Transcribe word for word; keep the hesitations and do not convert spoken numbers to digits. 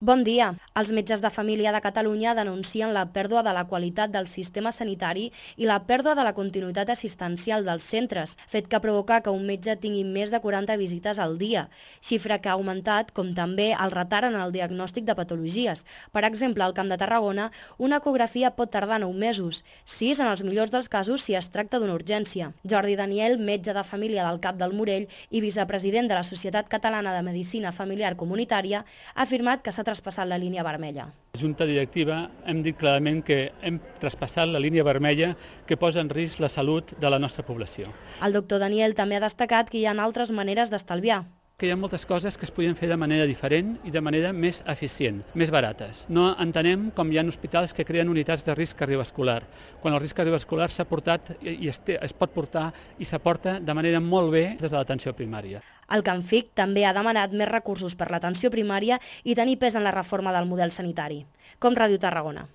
Bon dia. Els metges de família de Catalunya denuncien la pèrdua de la qualitat del sistema sanitari i la pèrdua de la continuïtat assistencial dels centres, fet que provoca que un metge tingui més de quaranta visites al dia, xifra que ha augmentat, com també el retard en el diagnòstic de patologies. Per exemple, al Camp de Tarragona, una ecografia pot tardar nou mesos, sis en els millors dels casos si es tracta d'una urgència. Jordi Daniel, metge de família del Cap del Morell i vicepresident de la Societat Catalana de Medicina Familiar Comunitària, ha afirmat que s'ha traspassat la línia vermella. La Junta Directiva hem dit clarament que hem traspassat la línia vermella que posa en risc la salut de la nostra població. El doctor Daniel també ha destacat que hi ha altres maneres d'estalviar. Que hi ha moltes coses que es podien fer de manera diferent i de manera més eficient, més barates. No entenem com hi ha hospitals que creen unitats de risc cardiovascular, quan el risc cardiovascular s'ha portat i es, té, es pot portar i s'aporta de manera molt bé des de l'atenció primària. El CANFIC també ha demanat més recursos per l'atenció primària i tenir pes en la reforma del model sanitari. Com Ràdio Tarragona.